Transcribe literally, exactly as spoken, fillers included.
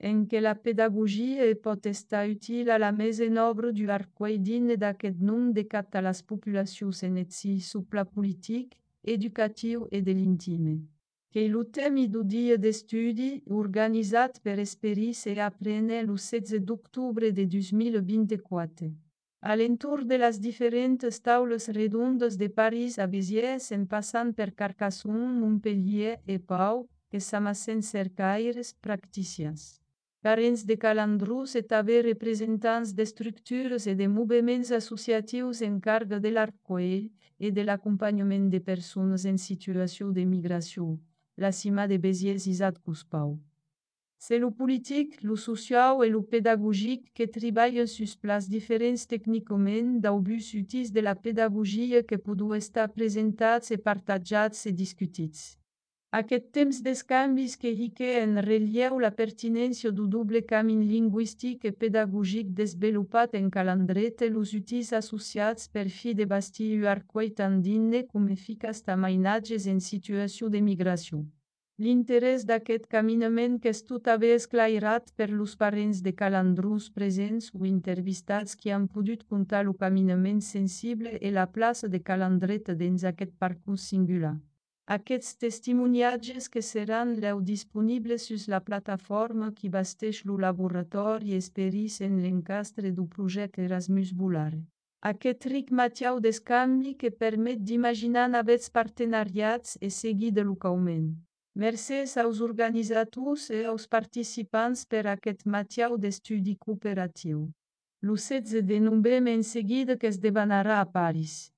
en què la pedagogia pot estar útil a la mesa en obra du arquei dins d'aquest nom de cap a les populacions en etzi supla politic, educatiu e de l'intime. Que lo temi du dia d'estudi, organitzat per Esperis e Aprene lo setze d'octubre de dos mil vint-i-quatre. A l'entorn de les diferents taules redondes de París a Béziers en passant per Carcassonne, Montpellier e Pau, que s'amassen cercaires practicians. Parents de calandrus et també representants d'estructures e de moviments associatius en càrrega de l'arquei e de l'acompanyament de persones en situació de migració, la cima de Béziers Isat Cuspau. C'est lo politic, lo social e lo pedagogic que treballen sus plans diferents tècnicament d'aubús útils de la pedagogia que poden estar presentats e partatjats e discutits. Aquest temps d'escanvis que rique en relleu la pertinència du doble camí lingüístic e pedagogic desenvolupat en calandret e los útils associats per fi de bastir u arquei tan digne com eficaç tamainatges en situació de migració. L'interès d'aquest caminament que és tot a bé esclairat per los parents de calandrus presents o intervistats qui han pogut contar lo caminament sensible e la plaça de calandret dins aquest parcours singular. Aquests testimoniatges que seran leu disponibles sus la plataforma qui basteix lo laboratori Esperis en l'encastre du projecte Erasmus Volare. Aquest ric matiau d'escanvi que permet d'imaginar navets partenariats e seguir de localment. Mercès aos organitzators e aos participants per aquest matiau d'estudi cooperatiu. Lo setze de novembre en seguida que es debanarà a París.